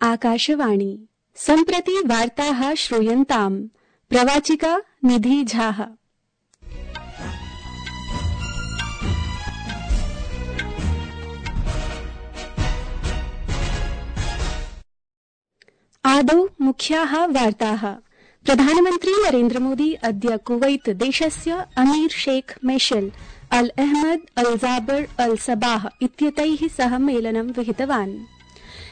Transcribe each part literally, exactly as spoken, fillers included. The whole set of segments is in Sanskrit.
आकाशवाणी सम्प्रति वार्ताः श्रूयन्ताम्। प्रवाचिका निधि झाः। आदौ मुख्याः वार्ताः। प्रधानमन्त्री नरेन्द्र मोदी अद्य कुवैत देशस्य अमीर शेख मेशल अल अहमद अल जाबर अल सबाह इत्येतैः सह मेलनं विहितवान्।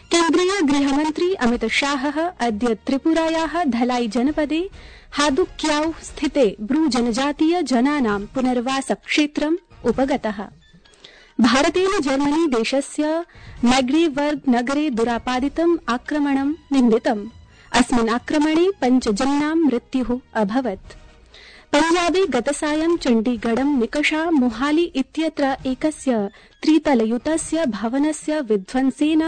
केन्द्रीय गृहमन्त्री अमित शाहः अद्य त्रिपुरायाः धलाई जनपदे हादुक्याउ स्थिते ब्रू जनजातीय जनानां पुनर्वास क्षेत्रम् उपगतः। भारतेन जर्मनी देशस्य मैग्डेबर्ग नगरे दुरापादितम् आक्रमणं निन्दितम्। अस्मिन् आक्रमणे पञ्च जनानां मृत्युः अभवत्। पञ्जाबे गतसायं चण्डीगढं निकषा मोहाली इत्यत्र एकस्य त्रितलयुतस्य भवनस्य विध्वंसेन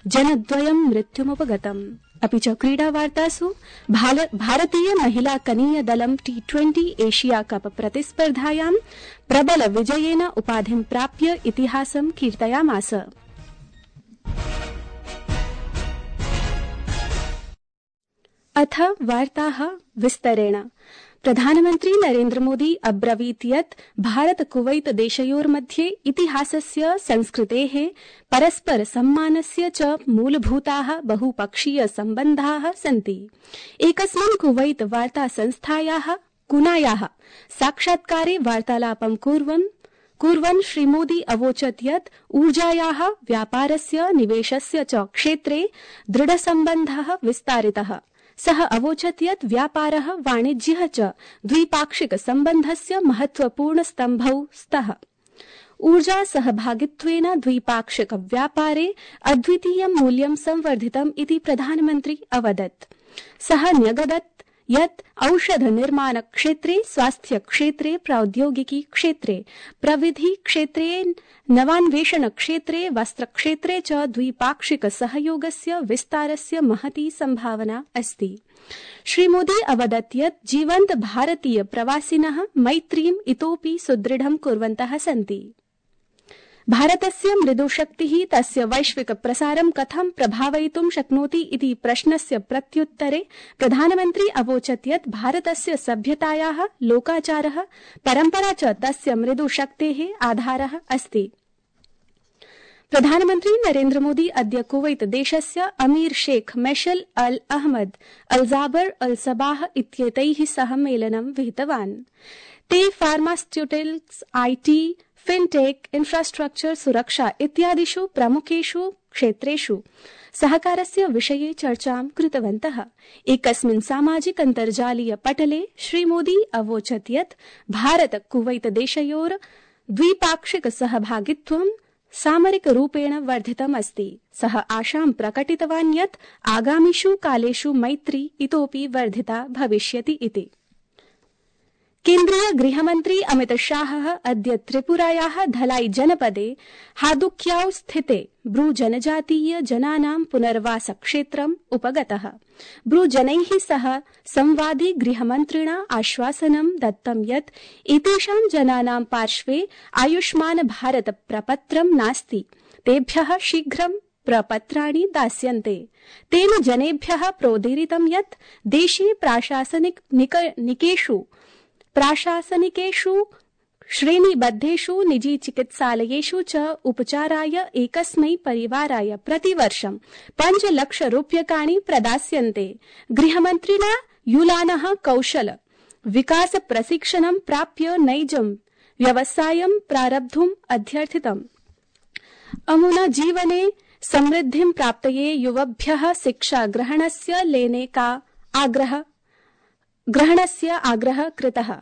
जनद्वयं मृत्युमुपगतम्। अपि च क्रीडावार्तासु भारतीय महिला कनीय दलं टी ट्वेंटी एशिया कप प्रतिस्पर्धायां प्रबल विजयेन उपाधिं प्राप्य इतिहासं कीर्तयामास। अथ वार्ताः विस्तरेण। प्रधानमन्त्री नरेन्द्र मोदी अब्रवीत् यत् भारत कुवैत देशयोर्मध्ये इतिहासस्य संस्कृतेः परस्पर सम्मानस्य च मूलभूताः बहुपक्षीय सम्बन्धाः सन्ति। एकस्मिन् कुवैत वार्ता संस्थायाः कुनायाः साक्षात्कारे वार्तालापं कुर्वन् कुर्वन् श्रीमोदी अवोचत् यत् ऊर्जायाः व्यापारस्य निवेशस्य च क्षेत्रे दृढसम्बन्धः विस्तारितः। सः अवोचत् यत् व्यापारः वाणिज्यः च द्विपाक्षिक सम्बन्धस्य महत्वपूर्ण स्तम्भौ स्तः। ऊर्जा सहभागित्वेन द्विपाक्षिक व्यापारे अद्वितीयं मूल्यं संवर्धितम् इति प्रधानमन्त्री अवदत्। सः न्यगदत् यत् औषध निर्माण क्षेत्रे, स्वास्थ्य क्षेत्रे, प्रौद्योगिकी क्षेत्रे, प्रविधि क्षेत्रे, नवान्वेषण क्षेत्रे, वस्त्र क्षेत्रे च द्विपाक्षिक सहयोगस्य विस्तारस्य महती संभावना अस्ति। श्रीमोदी अवदत् यत् जीवन्त भारतीय प्रवासिनः मैत्रीम् इतोपि सुदृढं कुर्वन्तः सन्ति। भारतस्य मृदुशक्तिः तस्य वैश्विक प्रसारं कथं प्रभावयितुं शक्नोति इति प्रश्नस्य प्रत्युत्तरे प्रधानमन्त्री अवोचत् यत् भारतस्य सभ्यतायाः लोकाचारः परम्परा च तस्य मृदुशक्तेः आधारः अस्ति। प्रधानमन्त्री नरेन्द्र मोदी अद्य कुवैत देशस्य अमीर शेख मेशल अल अहमद अल जाबर अल सबाह इत्येतैः सह मेलनं विहितवान्। ते फार्मास्यूटिकल्स्, आईटी, फिनटेक, इंफ्रास्ट्रक्चर, सुरक्षा इत्यादिषु प्रमुखेषु क्षेत्रेषु सहकारस्य विषये चर्चां कृतवन्तः। एकस्मिन् सामाजिक अन्तर्जालीय पटले श्रीमोदी अवोचत् यत् भारत कुवैत देशयोर द्विपाक्षिक सहभागित्वं सामरिक रूपेण वर्धितम् अस्ति। सः आशां प्रकटितवान् यत् आगामिषु कालेषु मैत्री इतोपि वर्धिता भविष्यति इति। केन्द्रीय गृहमन्त्री अमित शाहः अद्य त्रिपुरायाः धलाई जनपदे हादुक्याउ स्थिते ब्रू जनजातीय जनानां पुनर्वास क्षेत्रम् उपगतः। ब्रू जनैः सह संवादे गृहमन्त्रिणा आश्वासनं दत्तं यत् एतेषां जनानां पार्श्वे आयुष्मान भारत प्रपत्रं नास्ति। तेभ्यः शीघ्रं प्रपत्राणि दास्यन्ते। तेन जनेभ्यः प्रोदीरितं यत् देशे प्राशासनिक निकेषु प्राशासनिकेषु श्रेणीबद्धेषु निजी चिकित्सालयेषु च उपचाराय एकस्मै परिवाराय प्रतिवर्षं पञ्चलक्ष रूप्यकाणि प्रदास्यन्ते। गृहमन्त्रिणा युलानः कौशल विकास प्रशिक्षणं प्राप्य नैजं व्यवसायं प्रारब्धुम् अध्यर्थितम्। अमुना जीवने समृद्धिं प्राप्तये युवभ्यः शिक्षा ग्रहणस्य लेने का आग्रह ग्रहणस्य आग्रहः कृतः।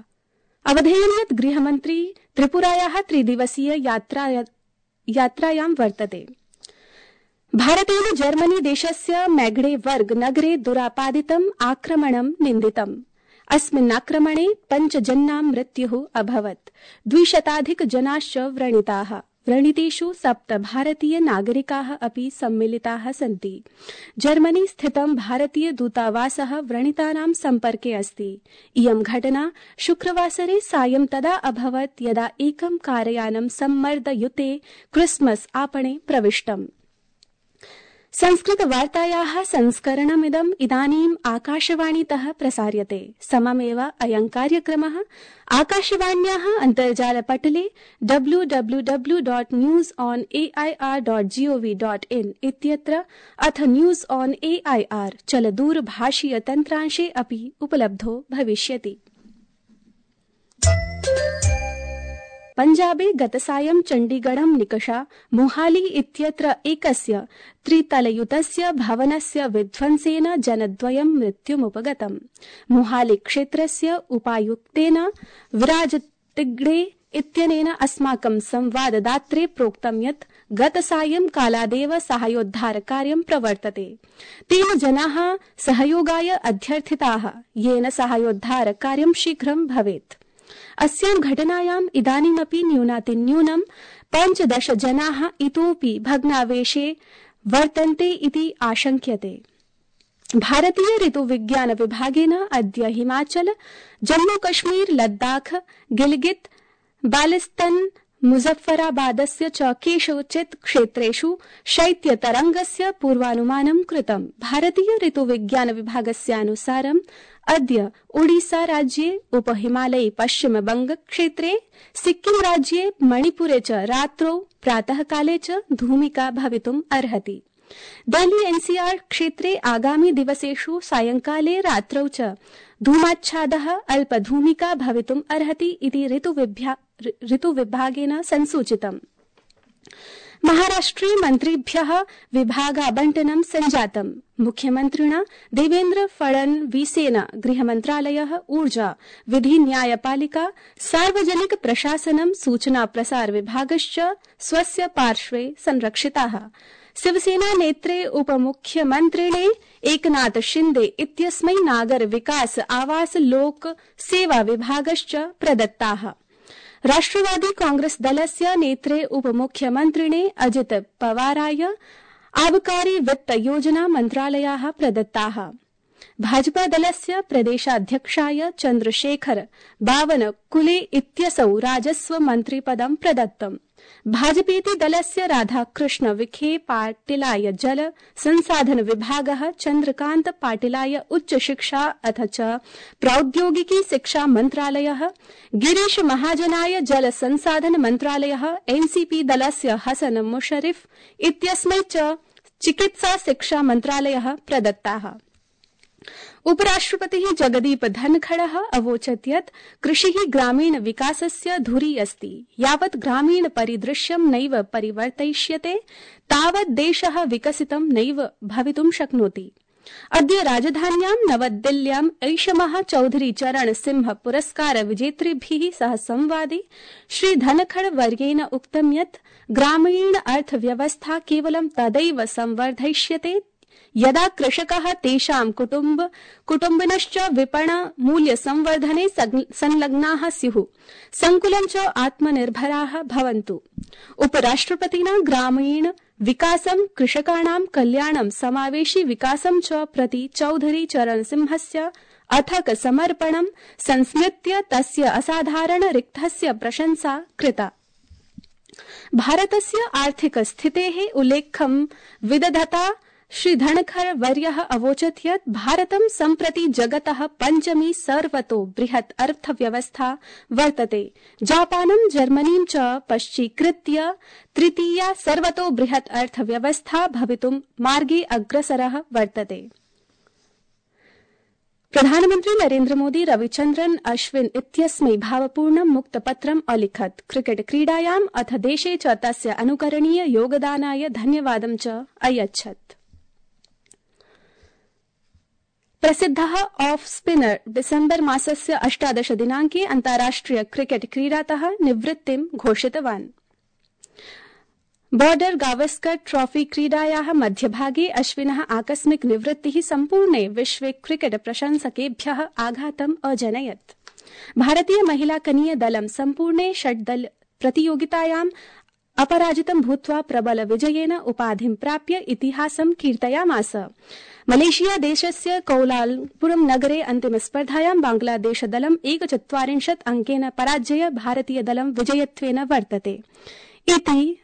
अवधेयं यत् गृहमन्त्री त्रिपुरायाः त्रिदिवसीय यात्रायां वर्तते। भारतेन जर्मनी देशस्य मैग्डेबर्ग नगरे दुरापादितम् आक्रमणं निन्दितम्। अस्मिन् आक्रमणे पञ्च जनानां मृत्युः अभवत्। द्विशताधिक जनाश्च व्रणिताः। व्रणितेषु सप्त भारतीय नागरिकाः अपि सम्मिलिताः सन्ति। जर्मनी स्थितं भारतीय दूतावासः व्रणितानां सम्पर्के अस्ति। इयं घटना शुक्रवासरे सायं तदा अभवत् यदा एकं कारयानं सम्मर्दयुते क्रिसमस आपणे प्रविष्टम्। संस्कृतवार्तायाः संस्करणमिदम् इदानीम् आकाशवाणीतः प्रसार्यते। सममेव अयं कार्यक्रमः आकाशवाण्याः अन्तर्जालपटले W W W dot news on A I R dot GOV dot in इत्यत्र अथ news on A I R चलदूरभाषीय तन्त्रांशे अपि उपलब्धो भविष्यति। पञ्जाबे गतसायं चण्डीगढं निकषा मोहाली इत्यत्र एकस्य त्रितलयुतस्य भवनस्य विध्वंसेन जनद्वयं मृत्युमुपगतम्। मोहाली क्षेत्रस्य उपायुक्तेन विराज तिग्डे इत्यनेन अस्माकं संवाददात्रे प्रोक्तं यत् गतसायं कालादेव साहाय्योद्धारकार्यं प्रवर्तते। तेन जनाः सहयोगाय अध्यर्थिताः, येन साहाय्योद्धारकार्यं शीघ्रं भवेत्। अस्यां घटनायाम् इदानीमपि न्यूनातिन्यूनं पञ्चदश जनाः इतोऽपि भग्नावेशे वर्तन्ते इति आशंक्यते। भारतीय ऋतुविज्ञान विभागेन अद्य हिमाचल, जम्मू कश्मीर, लद्दाख, गिलगित, बाल्टिस्तान, मुजफ्फराबादस्य च केषुचित् क्षेत्रेषु शैत्यतरंगस्य पूर्वानुमानं कृतम्। भारतीय ऋतुविज्ञान विभागस्यानुसारम् अद्य ओडिसा राज्ये, उपहिमालये पश्चिमबंग क्षेत्रे, सिक्किम राज्ये, मणिपुरे च रात्रौ प्रातःकाले च धूमिका भवितुम् अर्हति। दिल्ली एनसीआर क्षेत्रे आगामि दिवसेषु सायंकाले रात्रौ च धूमाच्छादः अल्पधूमिका भवितुम् अर्हति इति ऋतुविभागेन संसूचितम्। महाराष्ट्रे मन्त्रिभ्यः विभागाबण्टनं सञ्जातम्। मुख्यमन्त्रिणा देवेन्द्र फडणवीसेन गृहमन्त्रालयः, ऊर्जा, विधि न्यायपालिका, सार्वजनिक प्रशासनं, सूचना प्रसार विभागश्च स्वस्य पार्श्वे संरक्षिताः। शिवसेना नेत्रे उपमुख्यमन्त्रिणे एकनाथ शिंदे इत्यस्मै नागर विकास आवास लोक सेवा विभागश्च प्रदत्ताः। राष्ट्रवादी कांग्रेस दलस्य नेत्रे उपमुख्यमन्त्रिणे अजित पवाराय आबकारी वित्त योजना मन्त्रालयाः प्रदत्ताः। भाजपा दलस्य प्रदेशाध्यक्षाय चन्द्रशेखर बावनकुले इत्यसौ राजस्व मन्त्रिपदं प्रदत्तम्। भाजपेति दलस्य राधाकृष्ण विखे पाटिलाय जल संसाधन विभागः, चन्द्रकान्त पाटिलाय उच्च शिक्षा अथ च प्रौद्योगिकी शिक्षा मन्त्रालयः, गिरीश महाजनाय जल संसाधन मन्त्रालयः, एनसीपी दलस्य हसन मुशर्रफ इत्यस्मै च चिकित्सा शिक्षा मन्त्रालयः प्रदत्ताः। उपराष्ट्रपतिः जगदीप धनखड़ः अवोचत् यत् कृषिः ग्रामीण विकासस्य धुरी अस्ति। यावत् ग्रामीण परिदृश्यं नैव परिवर्तयिष्यते तावत् देशः विकसितं नैव भवितुं शक्नोति। अद्य राजधान्यां नवदिल्ल्यां ऐषमः चौधरी चरण सिंह पुरस्कार विजेतृभिः सह संवादे श्री धनखड़ वर्येण उक्तं यत् ग्रामीण अर्थव्यवस्था केवलं तदैव संवर्धयिष्यते यदा कृषकाः तेषां कुटुम्ब कुटुम्बिनश्च विपण मूल्य संवर्धने संलग्नाः स्युः, संकुलं च आत्मनिर्भराः भवन्तु। उपराष्ट्रपतिना ग्रामीण विकासं, कृषकाणां कल्याणं, समावेशी विकासं च प्रति चौधरी चरण सिंहस्य अथक समर्पणं संस्मृत्य तस्य असाधारण रिक्तस्य प्रशंसा कृता। भारतस्य आर्थिक स्थितेः उल्लेखं विदधता श्री धनखड़ वर्यः अवोचत् यत् भारतं सम्प्रति जगतः पञ्चमी सर्वतो बृहत् अर्थव्यवस्था वर्तते। जापानं, जर्मनीं च पश्चीकृत्य तृतीया सर्वतो बृहत् अर्थव्यवस्था भवितुं मार्गे अग्रसरः वर्तते। प्रधानमन्त्री नरेन्द्र मोदी रविचन्द्रन अश्विन इत्यस्मै भावपूर्णं मुक्तपत्रम् अलिखत्। क्रिकेट क्रीडायाम् अथ देशे च तस्य अनुकरणीय योगदानाय धन्यवादं च अयच्छत्। प्रसिद्धः ऑफ स्पिनर डिसेम्बर मासस्य अष्टादश दिनांके अन्ताराष्ट्रिय क्रिकेट क्रीडातः निवृत्तिं घोषितवान्। बॉर्डर गावस्कर ट्रॉफी क्रीडायाः मध्यभागे अश्विनः आकस्मिक निवृत्तिः सम्पूर्णे विश्वे क्रिकेट प्रशंसकेभ्यः आघातम् अजनयत्। भारतीय महिला कनीय दलं सम्पूर्णे षड्दल प्रतियोगितायाम् अपराजितं भूत्वा प्रबल विजयेन उपाधिं प्राप्य इतिहासं कीर्तयामास। मलेशिया देशस्य कौलालम्पुरं नगरे अन्तिम स्पर्धायां बांग्लादेश दलम् एकचत्वारिंशत् अंकेन पराजय भारतीय दलं विजयत्वेन वर्तते। इति